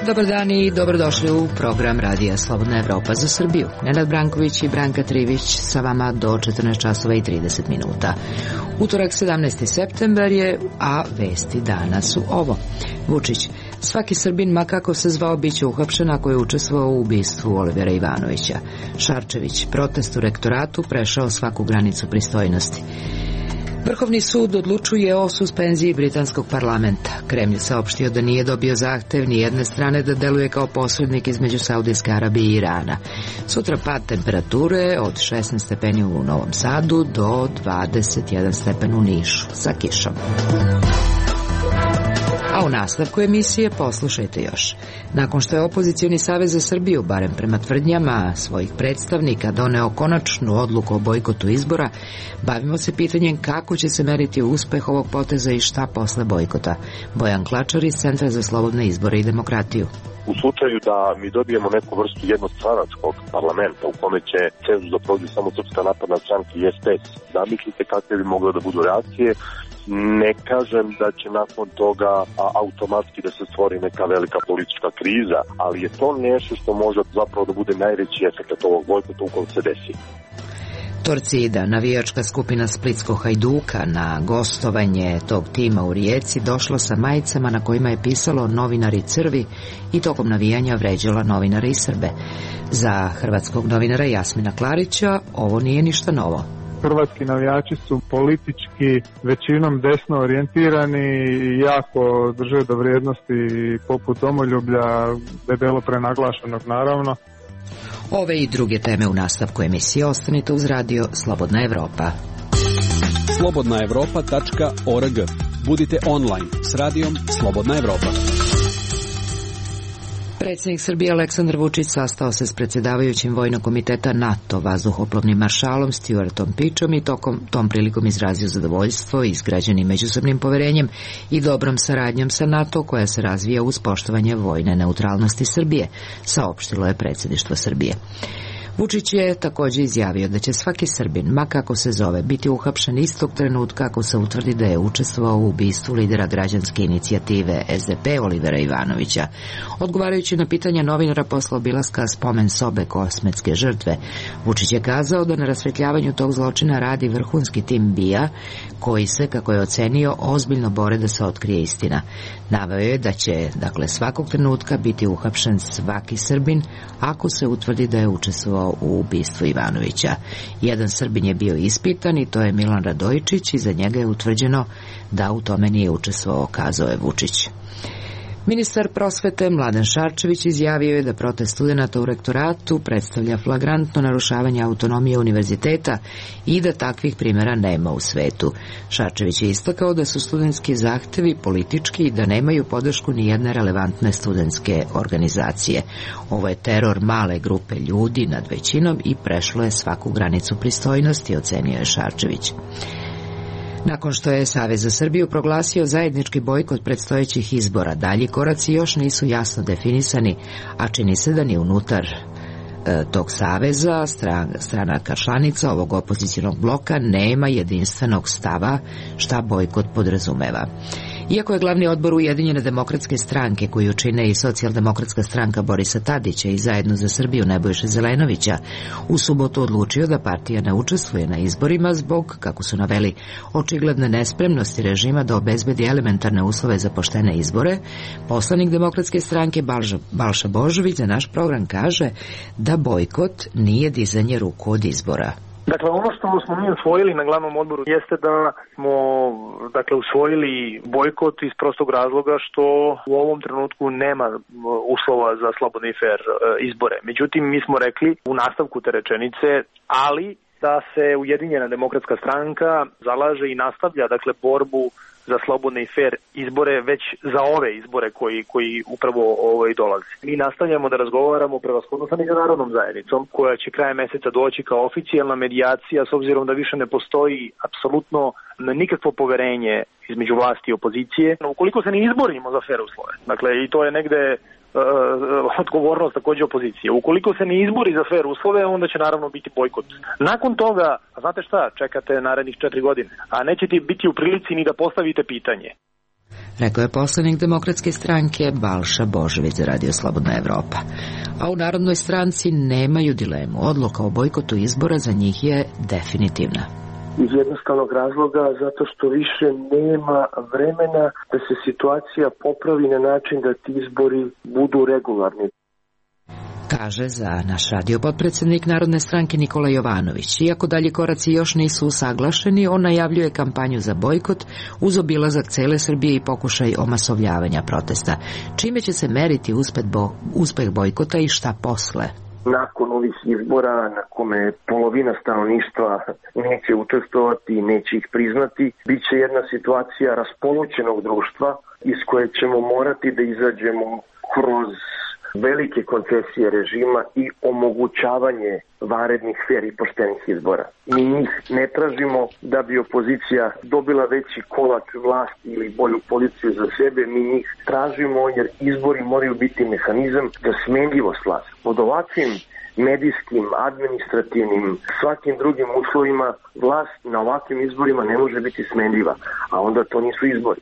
Dobar dan i dobrodošli u program Radija Slobodna Evropa za Srbiju. Nenad Branković i Branka Trivić sa vama do 14 časova i 30 minuta. Utorak 17. septembar je, a vesti dana su ovo. Vučić: svaki Srbin, ma kako se zvao, biće uhapšen ako je učestvovao u ubistvu Olivera Ivanovića. Šarčević: protest u rektoratu prešao svaku granicu pristojnosti. Vrhovni sud odlučuje o suspenziji britanskog parlamenta. Kremlj je saopštio da nije dobio zahtev ni jedne strane da deluje kao posrednik između Saudijske Arabije i Irana. Sutra pad temperature od 16 stepeni u Novom Sadu do 21 stepen u Nišu sa kišom. A u nastavku emisije poslušajte još. Nakon što je Opozicioni savez za Srbiju, barem prema tvrdnjama svojih predstavnika, doneo konačnu odluku o bojkotu izbora, bavimo se pitanjem kako će se meriti uspeh ovog poteza i šta posle bojkota. Bojan Klačar iz Centra za slobodne izbore i demokratiju. U slučaju da mi dobijemo neku vrstu jednostranačkog parlamenta u kome će cenzus da prođe samo Srpska napredna stranka i SPS, zamislite kakve bi mogle da budu reakcije. Ne kažem da će nakon toga automatski da se stvori neka velika politička kriza, ali je to nešto što može zapravo da bude najveći efekt ovog bojkota ukoliko se desi. Torcida, navijačka skupina Splitskog Hajduka, na gostovanje tog tima u Rijeci došlo sa majicama na kojima je pisalo "Novinari crvi" i tokom navijanja vređala novinare i Srbe. Za hrvatskog novinara Jasmina Klarića ovo nije ništa novo. Hrvatski navijači su politički većinom desno orijentirani i jako drže do vrijednosti poput domoljublja, debelo prenaglašenog naravno. Ove i druge teme u nastavku emisije. Ostanite uz radio Slobodna Evropa. slobodnaevropa.org. Budite online s radijom Slobodna Evropa. Predsjednik Srbije Aleksandar Vučić sastao se s predsjedavajućim Vojnog komiteta NATO vazduhoplovnim maršalom Stuartom Pičom i tom prilikom izrazio zadovoljstvo izgrađenim međusobnim poverenjem i dobrom saradnjom sa NATO koja se razvija uz poštovanje vojne neutralnosti Srbije, saopštilo je predsjedništvo Srbije. Vučić je također izjavio da će svaki Srbin, ma kako se zove, biti uhapšen istog trenutka ako se utvrdi da je učestvovao u ubistvu lidera građanske inicijative SDP Olivera Ivanovića. Odgovarajući na pitanja novinara posle obilaska spomen sobe kosmetske žrtve, Vučić je kazao da na rasvetljavanju tog zločina radi vrhunski tim BIA, koji se, kako je ocenio, ozbiljno bore da se otkrije istina. Naveo je da će, svakog trenutka biti uhapšen svaki Srbin ako se utvrdi da je učestvovao u ubistvu Ivanovića. Jedan Srbin je bio ispitan i to je Milan Radojičić i za njega je utvrđeno da u tome nije učestvovao, kazao je Vučić. Ministar prosvete Mladen Šarčević izjavio je da protest studenata u rektoratu predstavlja flagrantno narušavanje autonomije univerziteta i da takvih primjera nema u svetu. Šarčević je istakao da su studentski zahtevi politički i da nemaju podršku ni jedne relevantne studentske organizacije. Ovo je teror male grupe ljudi nad većinom i prešlo je svaku granicu pristojnosti, ocenio je Šarčević. Nakon što je Savez za Srbiju proglasio zajednički bojkot predstojećih izbora, dalji koraci još nisu jasno definisani, a čini se da ni unutar tog saveza stranaka članica ovog opozicionog bloka nema jedinstvenog stava šta bojkot podrazumeva. Iako je glavni odbor Ujedinjene demokratske stranke, koju čine i Socijaldemokratska stranka Borisa Tadića i Zajedno za Srbiju Nebojše Zelenovića, u subotu odlučio da partija ne učestvuje na izborima zbog, kako su naveli, očigledne nespremnosti režima da obezbedi elementarne uslove za poštene izbore, poslanik Demokratske stranke Balša Božović za naš program kaže da bojkot nije dizanje ruku od izbora. Dakle, ono što smo mi usvojili na glavnom odboru jeste da smo usvojili bojkot iz prostog razloga što u ovom trenutku nema uslova za slobodne i fair izbore. Međutim, mi smo rekli u nastavku te rečenice, ali da se Ujedinjena demokratska stranka zalaže i nastavlja borbu za slobodne i fair izbore već za ove izbore koji upravo dolaze. Mi nastavljamo da razgovaramo prevashodno sa međunarodnom zajednicom koja će krajem meseca doći kao oficijalna medijacija s obzirom da više ne postoji apsolutno nikakvo poverenje između vlasti i opozicije. Ukoliko se ne izborimo za fair uslove, i to je negde odgovornost također opozicije. Ukoliko se ne izbori za fair uslove, onda će naravno biti bojkot. Nakon toga, znate šta, čekate narednih 4 godine, a nećete biti u prilici ni da postavite pitanje. rekao je poslanik Demokratske stranke Balša Božović za Radio Slobodna Evropa. A u Narodnoj stranci nemaju dilemu. Odluka o bojkotu izbora za njih je definitivna. Iz jednostavnog razloga zato što više nema vremena da se situacija popravi na način da ti izbori budu regularni. Kaže za naš radio potpredsednik Narodne stranke Nikola Jovanović. Iako dalji koraci još nisu usaglašeni, on najavljuje kampanju za bojkot uz obilazak cele Srbije i pokušaj omasovljavanja protesta. Čime će se meriti uspeh bojkota i šta posle? Nakon ovih izbora na kome polovina stanovništva neće učestvovati, neće ih priznati, bit će jedna situacija raspoloćenog društva iz koje ćemo morati da izađemo kroz velike koncesije režima i omogućavanje vanrednih, fer i poštenih izbora. Mi njih ne tražimo da bi opozicija dobila veći kolač vlasti ili bolju policiju za sebe, mi njih tražimo jer izbori moraju biti mehanizam za smenljivost vlasti. Pod ovakvim medijskim, administrativnim, svakim drugim uslovima vlast na ovakvim izborima ne može biti smenljiva, a onda to nisu izbori.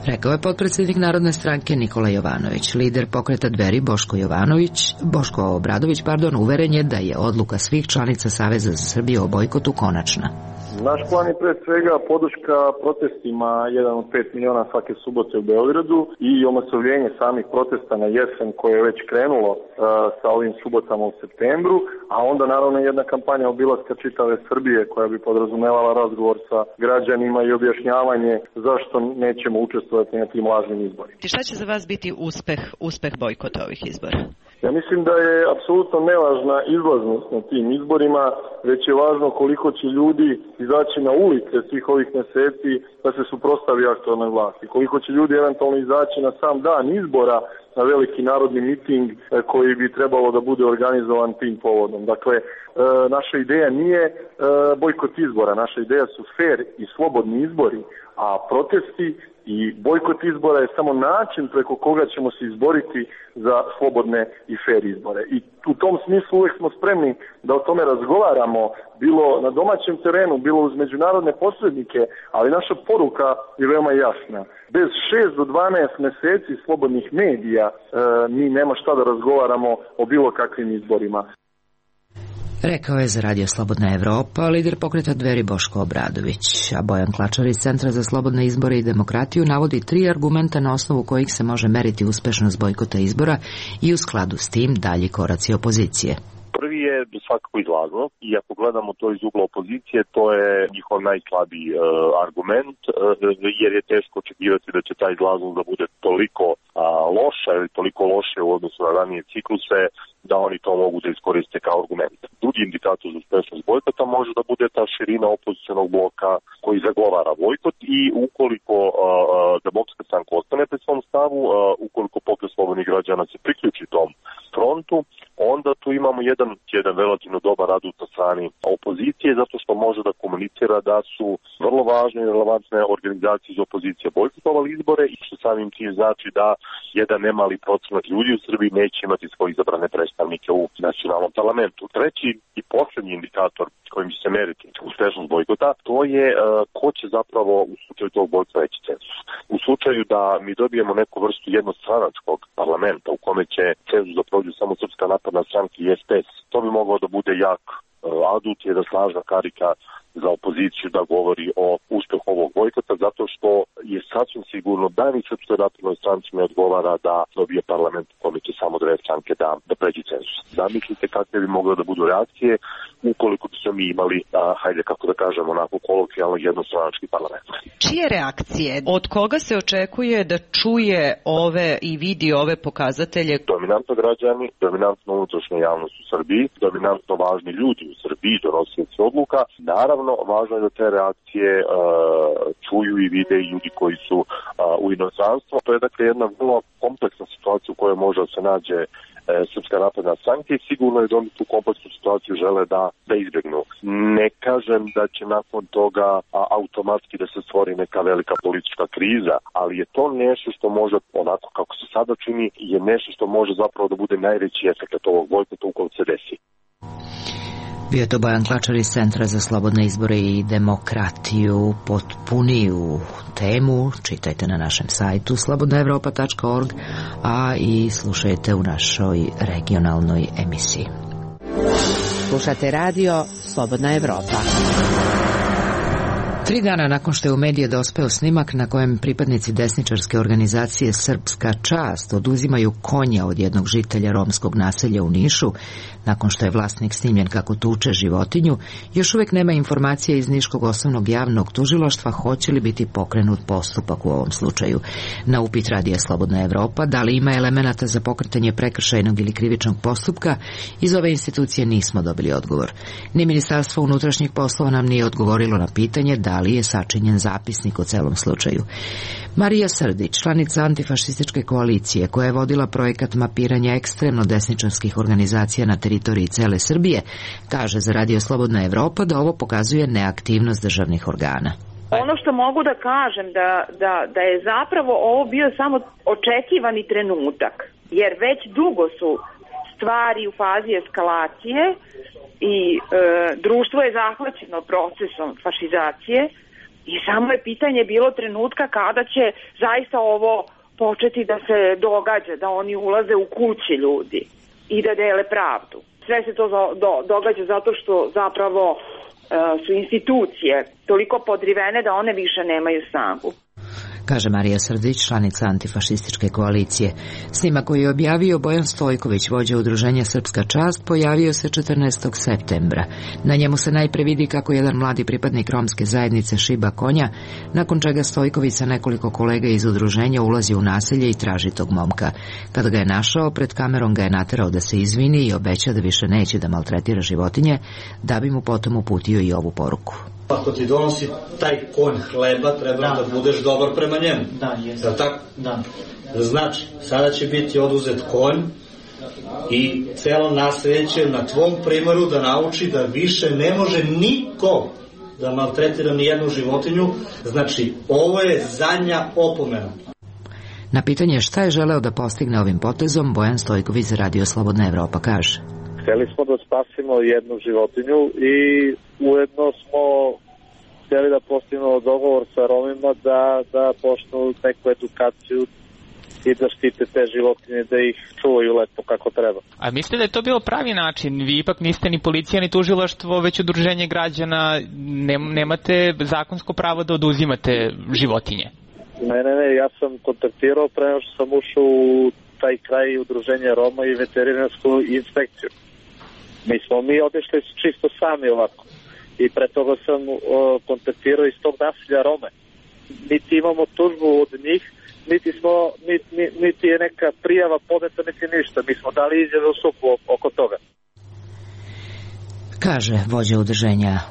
Rekao je potpredsjednik Narodne stranke Nikola Jovanović. Lider pokreta Dveri Boško Obradović, uveren je da je odluka svih članica Saveza za Srbiju o bojkotu konačna. Naš plan je pre svega podrška protestima 1 od 5 miliona svake subote u Beogradu i omasovljenje samih protesta na jesen koje je već krenulo sa ovim subotama u septembru, a onda naravno jedna kampanja obilaska čitave Srbije koja bi podrazumevala razgovor sa građanima i objašnjavanje zašto nećemo učestvovati na tim lažnim izborima. Šta će za vas biti uspeh bojkota ovih izbora? Ja mislim da je apsolutno nevažna izlaznost na tim izborima, već je važno koliko će ljudi izaći na ulice svih ovih meseci da se suprotstavi aktualnoj vlasti. Koliko će ljudi eventualno izaći na sam dan izbora na veliki narodni miting koji bi trebalo da bude organizovan tim povodom. Dakle, naša ideja nije bojkot izbora, naša ideja su fer i slobodni izbori, a protesti i bojkot izbora je samo način preko koga ćemo se izboriti za slobodne i fer izbore. I u tom smislu uvijek smo spremni da o tome razgovaramo, bilo na domaćem terenu, bilo uz međunarodne posrednike, ali naša poruka je veoma jasna. Bez 6 do 12 meseci slobodnih medija mi nema šta da razgovaramo o bilo kakvim izborima. Rekao je za Radio Slobodna Evropa lider pokreta Dveri Boško Obradović, a Bojan Klačar iz Centra za slobodne izbore i demokratiju navodi 3 argumenta na osnovu kojih se može meriti uspešnost bojkota izbora i u skladu s tim dalji koraci opozicije. Prvi je svakako izlaznost i ako gledamo to iz ugla opozicije, to je njihov najslabiji argument, jer je teško očekivati da će ta izlaznost da bude toliko loša ili toliko loše u odnosu na ranije cikluse da oni to mogu da iskoriste kao argument. Drugi indikator za uspešnost bojkota može da bude ta širina opozicionog bloka koji zagovara bojkot i ukoliko Demokratska stranka ostane pri svom stavu, ukoliko Pokret slobodnih građana se priključi tom frontu, onda tu imamo jedan relativno dobar adut na strani opozicije, zato što može da komunicira da su vrlo važne i relevantne organizacije iz opozicije bojkotovali izbore i što samim tim znači da jedan nemali procenat ljudi u Srbiji neće imati svoje izabrane predstavnike u nacionalnom parlamentu. Treći i poslednji indikator kojim će se meriti uspešnost bojkota, to je ko će zapravo u slučaju tog bojkota veći cenzus. U slučaju da mi dobijemo neku vrstu jednostranačkog parlamenta u kome će cenzus da prođu samo Srpska napredna stranka i SPS, to bi moglo da bude jak adut, jedna snažna karika za opoziciju da govori o uspehu ovog bojkota, zato što je sasvim sigurno da ni Srpskoj naprednoj stranci ne odgovara da dobije parlament u kome će samo 2 stranke da pređe cenzus. Zamislite kakve bi mogle da budu reakcije ukoliko bi smo mi imali, hajde kako da kažemo, onako kolokvijalno jednostranački parlament. Čije reakcije? Od koga se očekuje da čuje ove i vidi ove pokazatelje? Dominantno građani, dominantno unutrašnja javnost u Srbiji, dominantno važni ljudi u Srbiji, donosioci odluka. Naravno, važno je da te reakcije čuju i vide i ljudi koji su u inostranstvu. To je dakle jedna vrlo kompleksna situacija u kojoj može da se nađe Srpska napredna stranka i sigurno je da oni tu kompleksnu situaciju žele da izbjegnu. Ne kažem da će nakon toga automatski da se stvori neka velika politička kriza, ali je to nešto što može, onako kako se sada čini, je nešto što može zapravo da bude najveći efekt ovog bojkota ukoliko se desi. Bio je to Bojan Klačar iz Centra za slobodne izbore i demokratiju. Potpuniju temu čitajte na našem sajtu slobodnaevropa.org, a i slušajte u našoj regionalnoj emisiji. Slušate radio Slobodna Evropa. 3 dana nakon što je u medije dospeo snimak na kojem pripadnici desničarske organizacije Srpska čast oduzimaju konja od jednog žitelja romskog naselja u Nišu, nakon što je vlasnik snimljen kako tuče životinju, još uvek nema informacije iz Niškog osnovnog javnog tužilaštva hoće li biti pokrenut postupak u ovom slučaju. Na upit radija Slobodna Evropa da li ima elemenata za pokretanje prekršajnog ili krivičnog postupka, iz ove institucije nismo dobili odgovor. Ni Ministarstvo unutrašnjih poslova nam nije odgovorilo na pitanje da li je sačinjen zapisnik o celom slučaju. Marija Srdić, članica antifašističke koalicije koja je vodila projekat mapiranja ekstremno desničarskih organizacija na teritoriji cele Srbije, kaže za Radio Slobodna Evropa da ovo pokazuje neaktivnost državnih organa. Ono što mogu da kažem da je zapravo ovo bio samo očekivani trenutak, jer već dugo su stvari u fazi eskalacije i društvo je zahvaćeno procesom fašizacije i samo je pitanje bilo trenutka kada će zaista ovo početi da se događa, da oni ulaze u kuće ljudi i da dele pravdu. Sve se to događa zato što zapravo su institucije toliko podrivene da one više nemaju snagu. Kaže Marija Srdić, članica antifašističke koalicije. Snimak koji je objavio Bojan Stojković, vođa udruženja Srpska čast, pojavio se 14. septembra. Na njemu se najpre vidi kako jedan mladi pripadnik romske zajednice šiba konja, nakon čega Stojković sa nekoliko kolega iz udruženja ulazi u naselje i traži tog momka. Kada ga je našao, pred kamerom ga je naterao da se izvini i obeća da više neće da maltretira životinje, da bi mu potom uputio i ovu poruku. Ako ti donosi taj konj hleba, treba da budeš dobar prema njemu. Da, jesam. Da tako? Da. Znači, sada će biti oduzet konj i celo naselje će na tvom primeru da nauči da više ne može niko da maltretira ni jednu životinju. Znači, ovo je zadnja opomena. Na pitanje šta je želeo da postigne ovim potezom, Bojan Stojković za Radio Slobodna Evropa kaže: Hteli smo da spasimo jednu životinju i ujedno smo hteli da postignemo dogovor sa Romima da počnu neku edukaciju i da štite te životinje, da ih čuvaju lepo kako treba. A mislite da je to bio pravi način? Vi ipak niste ni policija ni tužilaštvo, već udruženje građana, nemate zakonsko pravo da oduzimate životinje? Ne, ja sam kontaktirao pre nego što sam ušao u taj kraj udruženja Roma i veterinarsku inspekciju. Mi otišli čisto sami ovako. I pre toga sam kontaktirao iz tog naselja Rome. Niti imamo tužbu od njih, niti je neka prijava podneta, niti ništa. Mi smo dali izjave u supu oko toga. Kaže vođa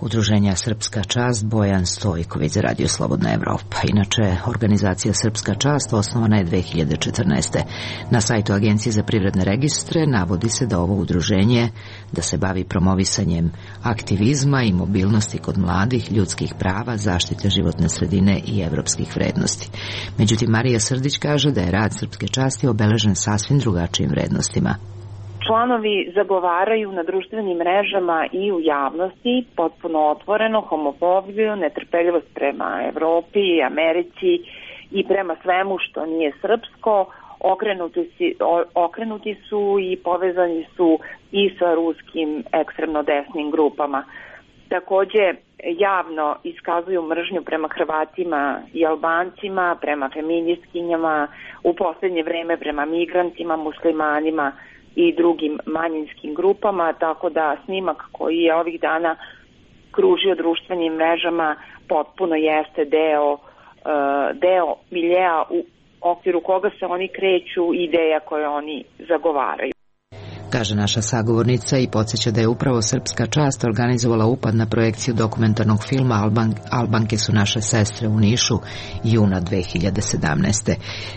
udruženja Srpska čast Bojan Stojković za Radio Slobodna Evropa. Inače, organizacija Srpska čast osnovana je 2014. Na sajtu Agencije za privredne registre navodi se da ovo udruženje da se bavi promovisanjem aktivizma i mobilnosti kod mladih, ljudskih prava, zaštite životne sredine i evropskih vrednosti. Međutim, Marija Srdić kaže da je rad Srpske časti obeležen sasvim drugačijim vrednostima. Članovi zagovaraju na društvenim mrežama i u javnosti potpuno otvoreno homofobiju, netrpeljivost prema Evropi, Americi i prema svemu što nije srpsko. Okrenuti su i povezani su i sa ruskim ekstremno desnim grupama. Takođe, javno iskazuju mržnju prema Hrvatima i Albancima, prema feministkinjama, u poslednje vreme prema migrantima, muslimanima i drugim manjinskim grupama, tako da snimak koji je ovih dana kružio društvenim mrežama potpuno jeste deo miljea u okviru koga se oni kreću, ideja koje oni zagovaraju. Kaže naša sagovornica i podsjeća da je upravo Srpska čast organizovala upad na projekciju dokumentarnog filma Albanke su naše sestre u Nišu juna 2017.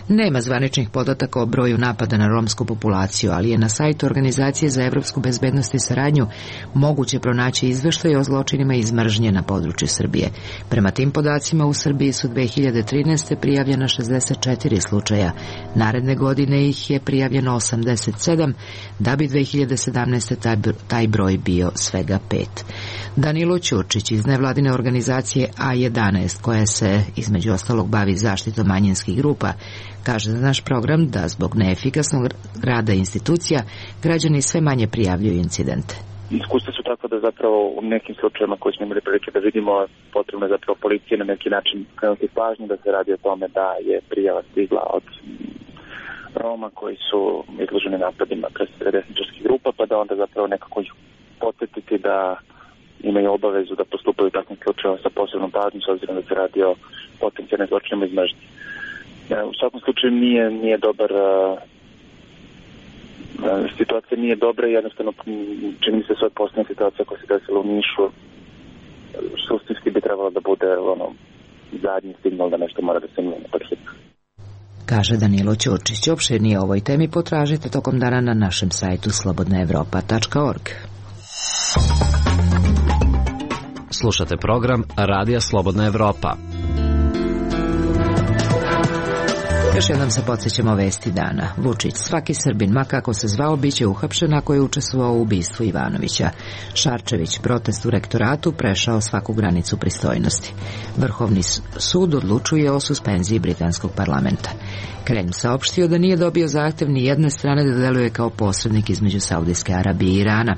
Nema zvaničnih podataka o broju napada na romsku populaciju, ali je na sajtu Organizacije za evropsku bezbednost i saradnju moguće pronaći izveštaj o zločinima iz mržnje na području Srbije. Prema tim podacima u Srbiji su 2013. prijavljena 64 slučaja. Naredne godine ih je prijavljeno 87, da bi bi 2017. taj broj bio svega 5. Danilo Ćurčić iz nevladine organizacije A11, koja se između ostalog bavi zaštitom manjinskih grupa, kaže za naš program da zbog neefikasnog rada institucija građani sve manje prijavljuju incidente. Iskustva su tako da zapravo u nekim slučajevima koje smo imali prilike da vidimo, potrebno je zapravo policije na neki način krenuti pažnju da se radi o tome da je prijava stigla od Roma koji su izloženi napadima desničarskih grupa, pa da onda zapravo nekako ih podsjetiti da imaju obavezu da postupaju u takvim slučajevima sa posebnom pažnjom, s obzirom da se radi o potencijalnim zločinima iz mržnje. U svakom slučaju nije dobar, situacija nije dobra i jednostavno čini mi se svoje posljednja situacija koja se desila u Nišu, suštinski bi trebalo da bude zadnji signal da nešto mora da se mijenja pod hitno. Kaže Danilo Ćurčić. Opširnije o ovoj temi potražite tokom dana na našem sajtu slobodnaevropa.org. Slušate program Radija Slobodna Evropa. Još jednom se podsjećamo vesti dana. Vučić, svaki Srbin, ma kako se zvao, biće uhapšen ako je učestvovao u ubistvu Ivanovića. Šarčević, protest u rektoratu prešao svaku granicu pristojnosti. Vrhovni sud odlučuje o suspenziji britanskog parlamenta. Kreml saopštio da nije dobio zahtev ni jedne strane da deluje kao posrednik između Saudijske Arabije i Irana.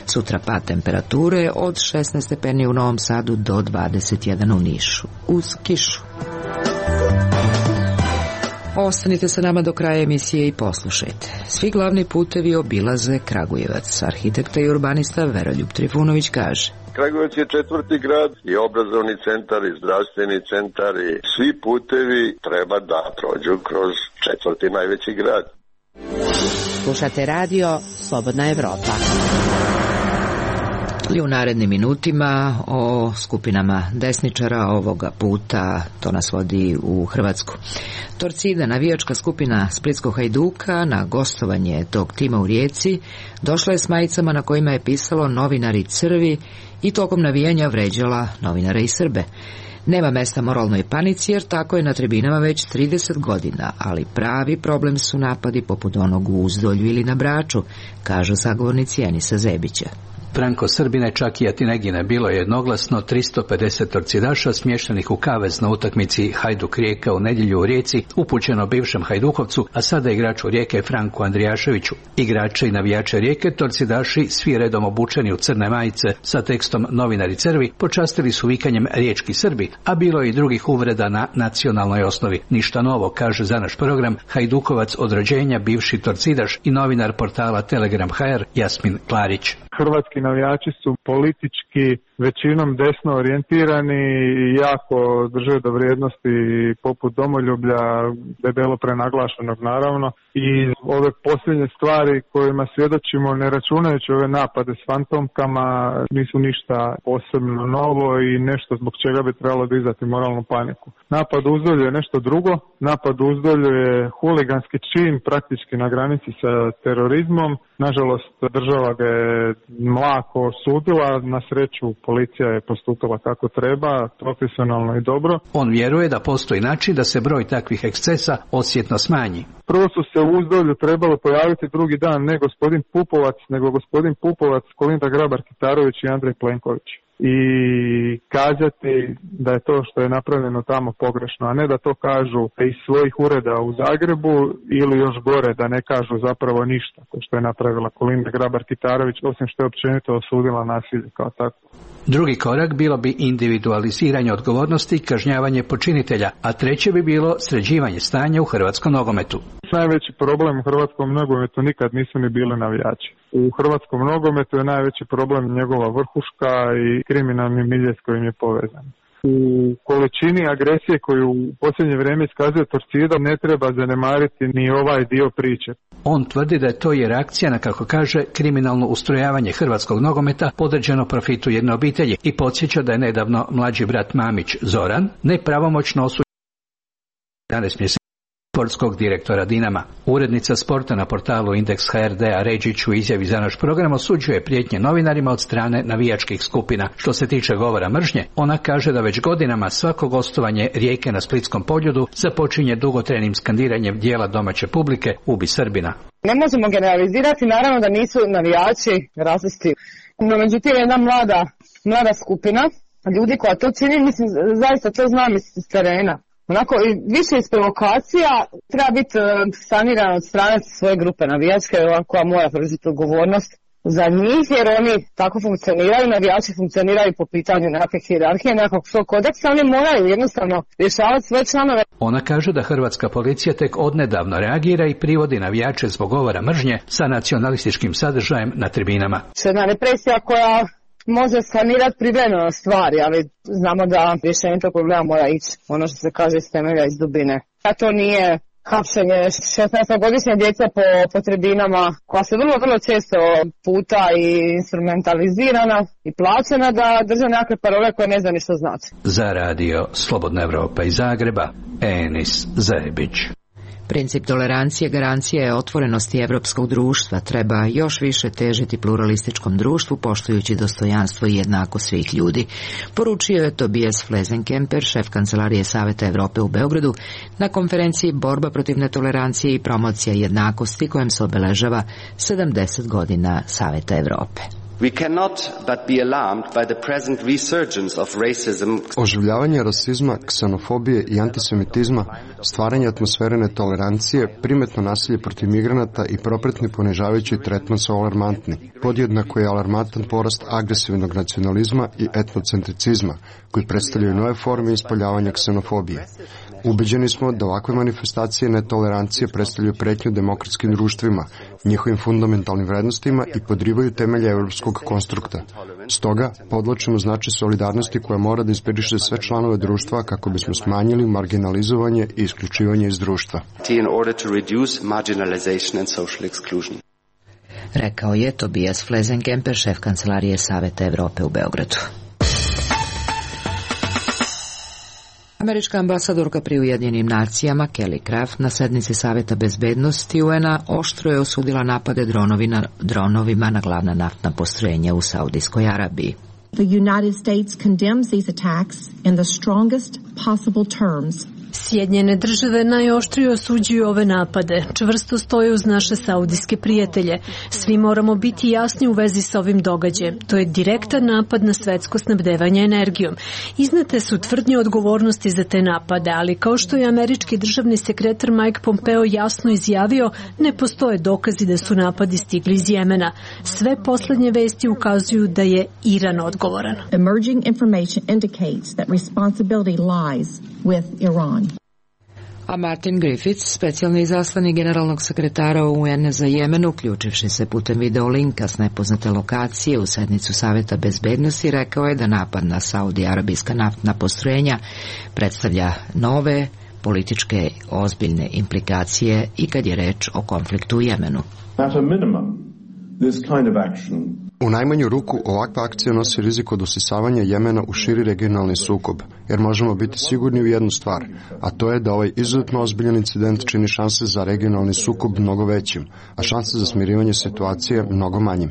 Sutra pad temperature od 16 stepeni u Novom Sadu do 21 u Nišu. Uz kišu. Ostanite sa nama do kraja emisije i poslušajte. Svi glavni putevi obilaze Kragujevac. Arhitekta i urbanista Veroljub Trifunović kaže: Kragujevac je 4. grad i obrazovni centar i zdravstveni centar i svi putevi treba da prođu kroz 4. najveći grad. Slušate radio Slobodna Evropa. I u narednim minutima o skupinama desničara, ovoga puta to nas vodi u Hrvatsku. Torcida, navijačka skupina Splitskog Hajduka, na gostovanje tog tima u Rijeci došla je s majicama na kojima je pisalo "Novinari crvi" i tokom navijanja vređala novinare i Srbe. Nema mesta moralnoj panici jer tako je na tribinama već 30 godina, ali pravi problem su napadi poput onog u Uzdolju ili na Braču, kažu sagovornici Enisa Zebića. Franko-Srbine, čak i Atinegine, bilo je jednoglasno 350 torcidaša smještenih u kavez na utakmici Hajduk-Rijeka u nedjelju u Rijeci, upućeno bivšem Hajdukovcu, a sada igraču Rijeke Franku Andrijaševiću. Igrače i navijače Rijeke, torcidaši, svi redom obučeni u crne majice sa tekstom "Novinari crvi", počastili su vikanjem "Riječki Srbi", a bilo je i drugih uvreda na nacionalnoj osnovi. Ništa novo, kaže za naš program Hajdukovac od rođenja, bivši torcidaš i novinar portala Telegram HR Jasmin Klarić. Hrvatski navijači su politički većinom desno orijentirani i jako drže do vrijednosti poput domoljublja, debelo prenaglašenog naravno, i ove posljednje stvari kojima svjedočimo, ne računajući ove napade s fantomkama, nisu ništa posebno novo i nešto zbog čega bi trebalo dizati moralnu paniku. Napad u Uzdolju je nešto drugo. Napad u Uzdolju je huliganski čin, praktički na granici sa terorizmom. Nažalost, država ga je mlako osudila, na sreću policija je postupila kako treba, profesionalno i dobro. On vjeruje da postoji način da se broj takvih ekscesa osjetno smanji. Prvo su se u Uzdolju trebalo pojaviti drugi dan ne gospodin Pupovac, nego gospodin Pupovac, Kolinda Grabar-Kitarović i Andrej Plenković. I kazati da je to što je napravljeno tamo pogrešno, a ne da to kažu iz svojih ureda u Zagrebu ili još gore da ne kažu zapravo ništa, ko što je napravila Kolinda Grabar-Kitarović, osim što je općenito osudila nasilje kao tako. Drugi korak bilo bi individualiziranje odgovornosti i kažnjavanje počinitelja, a treće bi bilo sređivanje stanja u hrvatskom nogometu. Najveći problem u hrvatskom nogometu nikad nisu ni bili navijači. U hrvatskom nogometu je najveći problem njegova vrhuška i kriminalni milje s kojim je povezan. U količini agresije koju u posljednje vrijeme iskazuje Torcida ne treba zanemariti ni ovaj dio priče. On tvrdi da je to je reakcija na, kako kaže, kriminalno ustrojavanje hrvatskog nogometa podređeno profitu jedne obitelji i podsjeća da je nedavno mlađi brat Mamić Zoran nepravomoćno osuđen 11 mjeseci sportskog direktora Dinama. Urednica sporta na portalu Indeks HRD-a Ređić u izjavi za naš program osuđuje prijetnje novinarima od strane navijačkih skupina. Što se tiče govora mržnje, ona kaže da već godinama svako gostovanje Rijeke na Splitskom Poljudu započinje dugotrajnim skandiranjem dijela domaće publike "Ubi Srbina". Ne možemo generalizirati, naravno da nisu navijači rasisti. No međutim, jedna mlada skupina ljudi koja to čini, mislim, zaista to znam iz terena. Onako, više iz provokacija treba biti saniran od strane svoje grupe navijačke koja mora preuzeti odgovornost za njih, jer oni tako funkcioniraju, navijači funkcioniraju po pitanju nekakve hijerarhije, nekakvog svog kodeksa, oni moraju jednostavno rješavati svoje članove. Ona kaže da hrvatska policija tek odnedavno reagira i privodi navijače zbog govora mržnje sa nacionalističkim sadržajem na tribinama. Jedna represija koja može sanirati privremeno stvari, ali znamo da rješenje tog problema mora ići, ono što se kaže, iz temelja, iz dubine. A to nije hapšenje 16-godišnje djece po tribinama, koja se vrlo često puta i instrumentalizirana i plaćena da drže nekakve parole koje ne zna ni što znači. Za radio Slobodna Evropa iz Zagreba, Enis Zebić. Princip tolerancije garancija je otvorenosti evropskog društva. Treba još više težiti pluralističkom društvu, poštujući dostojanstvo i jednakost svih ljudi. Poručio je Tobias Flesenkemper, šef Kancelarije Saveta Evrope u Beogradu, na konferenciji Borba protiv netolerancije i promocija jednakosti, kojem se obeležava 70 godina Saveta Evrope. We cannot but be alarmed by the present resurgence of racism. Oživljavanje rasizma, ksenofobije i antisemitizma, stvaranje atmosfere netolerancije, primetno nasilje protiv migranata i propretni ponižavajući tretman su alarmantni. Podjednako je alarmantan porast agresivnog nacionalizma i etnocentricizma, koji predstavljaju nove forme ispoljavanja ksenofobije. Ubeđeni smo da ovakve manifestacije netolerancije predstavljaju pretnju demokratskim društvima, njihovim fundamentalnim vrednostima i podrivaju temelje evropskog konstrukta. Stoga, podvlačimo značaj solidarnosti koja mora da inspiriše sve članove društva kako bismo smanjili marginalizovanje i isključivanje iz društva. Rekao je Tobias Flesenkemper, šef Kancelarije Saveta Evrope u Beogradu. Američka ambasadorka pri Ujedinjenim nacijama Kelly Craft na sednici Saveta bezbednosti UN-a oštro je osudila napade dronovima na glavna naftna postrojenja u Saudijskoj Arabiji. The United States condemns these attacks in the strongest possible terms. Sjedinjene države najoštrije osuđuju ove napade, čvrsto stoje uz naše saudijske prijatelje. Svi moramo biti jasni u vezi sa ovim događajem. To je direktan napad na svetsko snabdevanje energijom. Iznete su tvrdnje odgovornosti za te napade, ali kao što je američki državni sekretar Mike Pompeo jasno izjavio, ne postoje dokazi da su napadi stigli iz Jemena. Sve poslednje vesti ukazuju da je Iran odgovoran. Emerging information indicates that responsibility lies with Iran. A Martin Griffiths, specijalni izaslanik generalnog sekretara UN za Jemen, uključivši se putem videolinka s nepoznate lokacije u sednicu Saveta bezbednosti, rekao je da napad na saudi-arabijska naftna postrojenja predstavlja nove političke ozbiljne implikacije i kad je reč o konfliktu u Jemenu. U najmanju ruku ovakva akcija nosi rizik od usisavanja Jemena u širi regionalni sukob, jer možemo biti sigurni u jednu stvar, a to je da ovaj izuzetno ozbiljan incident čini šanse za regionalni sukob mnogo većim, a šanse za smirivanje situacije mnogo manjim.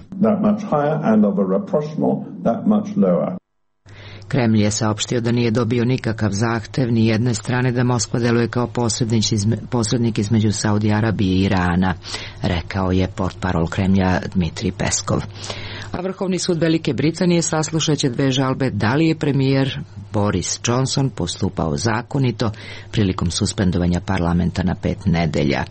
Kremlj je saopštio da nije dobio nikakav zahtev ni jedne strane da Moskva deluje kao posrednik između Saudi Arabije i Irana, rekao je portparol Kremlja Dmitrij Peskov. A Vrhovni sud Velike Britanije saslušaće dve žalbe da li je premijer Boris Johnson postupao zakonito prilikom suspendovanja parlamenta na 5 nedelja.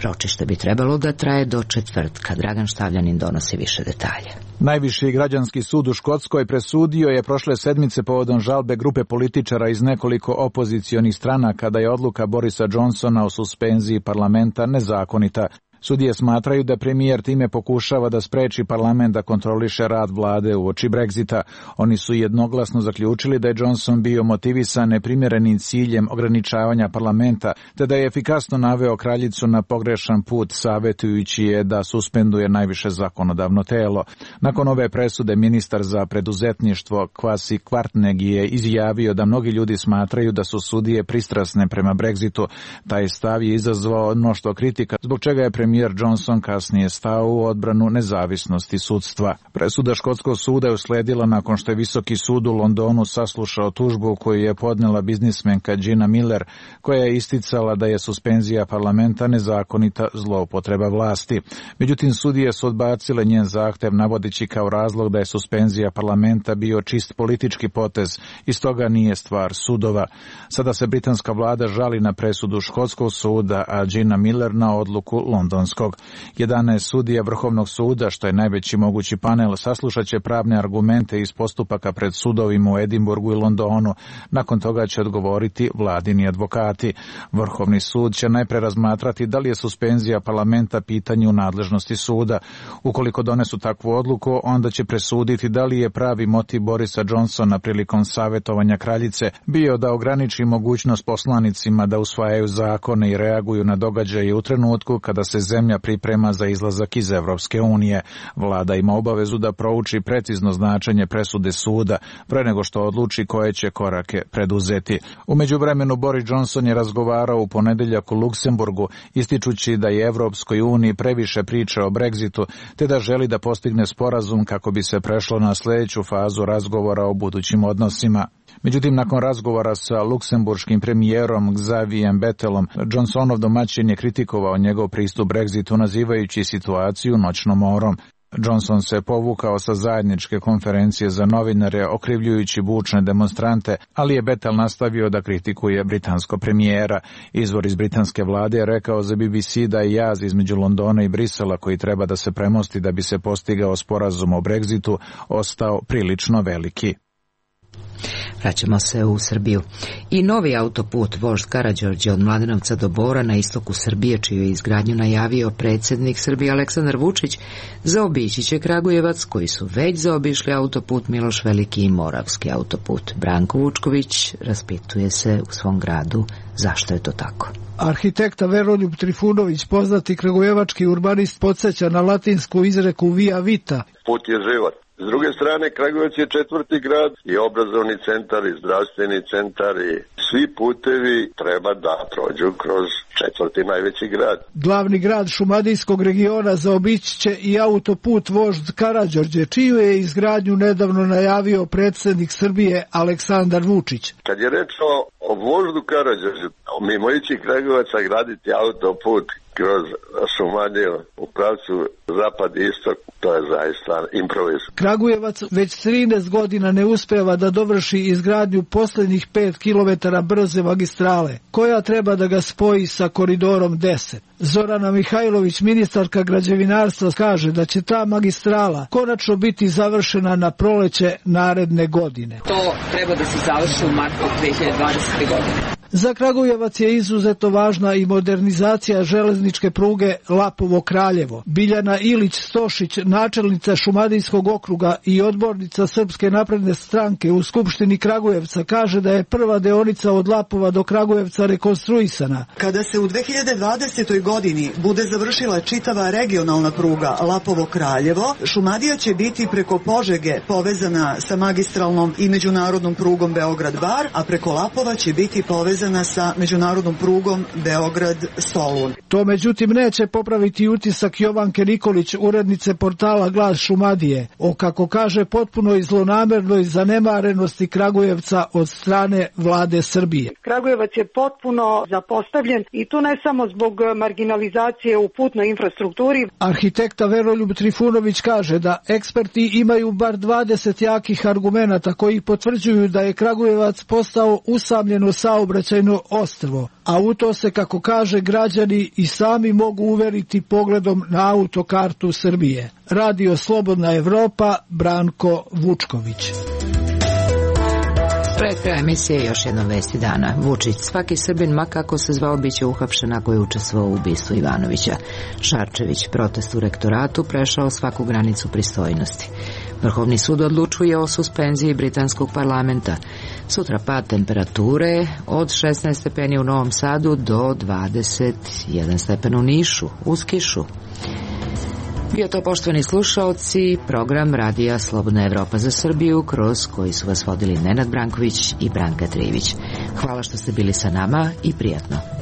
Ročište bi trebalo da traje do četvrtka. Dragan Štavljanin donosi više detalje. Najviši građanski sud u Škotskoj presudio je prošle sedmice povodom žalbe grupe političara iz nekoliko opozicionih stranaka da je odluka Borisa Johnsona o suspenziji parlamenta nezakonita. Sudije smatraju da premijer time pokušava da spreči parlament da kontroliše rad vlade uoči Brexita. Oni su jednoglasno zaključili da je Johnson bio motivisan neprimjerenim ciljem ograničavanja parlamenta, te da je efikasno naveo kraljicu na pogrešan put, savjetujući je da suspenduje najviše zakonodavno telo. Nakon ove presude ministar za preduzetništvo Kwasi Kwarteng je izjavio da mnogi ljudi smatraju da su sudije pristrasne prema Brexitu. Taj stav je izazvao mnoštvo kritika, zbog čega je premijer premijer Johnson kasnije stao u odbranu nezavisnosti sudstva. Presuda škotskog suda je usledila nakon što je Visoki sud u Londonu saslušao tužbu koju je podnela biznismenka Gina Miller, koja je isticala da je suspenzija parlamenta nezakonita zloupotreba vlasti. Međutim, sudije su odbacile njen zahtev navodeći kao razlog da je suspenzija parlamenta bio čist politički potez i stoga nije stvar sudova. Sada se britanska vlada žali na presudu škotskog suda, a Gina Miller na odluku londonskog. 11 sudija Vrhovnog suda, što je najveći mogući panel, saslušat će pravne argumente iz postupaka pred sudovima u Edinburgu i Londonu. Nakon toga će odgovoriti vladini advokati. Vrhovni sud će najpre razmatrati da li je suspenzija parlamenta pitanje u nadležnosti suda. Ukoliko donesu takvu odluku, onda će presuditi da li je pravi motiv Borisa Johnsona prilikom savjetovanja kraljice bio da ograniči mogućnost poslanicima da usvajaju zakone i reaguju na događaje u trenutku kada se zemlja priprema za izlazak iz Evropske unije. Vlada ima obavezu da prouči precizno značenje presude suda pre nego što odluči koje će korake preduzeti. U međuvremenu Boris Johnson je razgovarao u ponedeljak u Luksemburgu, ističući da je Evropskoj uniji previše priče o Brexitu, te da želi da postigne sporazum kako bi se prešlo na sljedeću fazu razgovora o budućim odnosima. Međutim, nakon razgovora sa luksemburškim premijerom Xavier Bettelom, Johnsonov domaćin je kritikovao njegov pristup Brexitu, nazivajući situaciju noćnom morom. Johnson se povukao sa zajedničke konferencije za novinare, okrivljujući bučne demonstrante, ali je Bettel nastavio da kritikuje britanskog premijera. Izvor iz britanske vlade je rekao za BBC da je jaz između Londona i Brisela, koji treba da se premosti da bi se postigao sporazum o Brexitu, ostao prilično veliki. Vraćamo se u Srbiju. I novi autoput vožd Karađorđe od Mladenovca do Bora na istoku Srbije, čiju je izgradnju najavio predsjednik Srbije Aleksandar Vučić, zaobići će Kragujevac, koji su već zaobišli autoput Miloš Veliki i Moravski autoput. Branko Vučković raspituje se u svom gradu zašto je to tako. Arhitekta Veroljub Trifunović, poznati kragujevački urbanist, podsjeća na latinsku izreku via vita. Put je život. S druge strane, Kragujevac je četvrti grad i obrazovni centar i zdravstveni centar i svi putevi treba da prođu kroz četvrti najveći grad. Glavni grad šumadijskog regiona zaobići će i autoput vožd Karađorđe, čiju je izgradnju nedavno najavio predsjednik Srbije Aleksandar Vučić. Kad je reč o voždu Karađorđe, mimo ići Kragujevaca graditi autoput kroz Šumadiju u pravcu zapad i istok, to je zaista improviz. Kragujevac već 13 godina ne uspeva da dovrši izgradnju posljednjih 5 kilometara brze magistrale, koja treba da ga spoji sa koridorom 10. Zorana Mihajlović, ministarka građevinarstva, kaže da će ta magistrala konačno biti završena na proleće naredne godine. To treba da se završi u martu 2020. godine. Za Kragujevac je izuzetno važna i modernizacija železničke pruge Lapovo-Kraljevo. Biljana Ilić-Stošić, načelnica Šumadijskog okruga i odbornica Srpske napredne stranke u Skupštini Kragujevca, kaže da je prva deonica od Lapova do Kragujevca rekonstruisana. Kada se u 2020. godini bude završila čitava regionalna pruga Lapovo-Kraljevo, Šumadija će biti preko Požege povezana sa magistralnom i međunarodnom prugom Beograd-Bar, a preko Lapova će biti povezana sa međunarodnom prugom Beograd-Solun. To međutim neće popraviti utisak Jovanke Nikolić, urednice portala Glas Šumadije, o, kako kaže, potpunoj zlonamernoj zanemarenosti Kragujevca od strane vlade Srbije. Kragujevac je potpuno zapostavljen i to ne samo zbog marginalizacije u putnoj infrastrukturi. Arhitekta Veroljub Trifunović kaže da eksperti imaju bar 20 jakih argumenata koji potvrđuju da je Kragujevac postao usamljeno saobraćajno ostrvo, a u to se, kako kaže, građani i sami mogu uveriti pogledom na autokartu Srbije. Radio Slobodna Evropa, Branko Vučković. Pred kraja emisije još jedna vesti dana. Vučić, svaki Srbin, ma kako se zvao, biće uhapšen ako je učestvovao u ubistvu Ivanovića. Šarčević, protest u rektoratu prešao svaku granicu pristojnosti. Vrhovni sud odlučuje o suspenziji britanskog parlamenta. Sutra pad temperature od 16 stepeni u Novom Sadu do 21 stepen u Nišu, uz kišu. Bio to, poštovani slušaoci, program Radija Slobodna Evropa za Srbiju, kroz koji su vas vodili Nenad Branković i Branka Trivić. Hvala što ste bili sa nama i prijatno.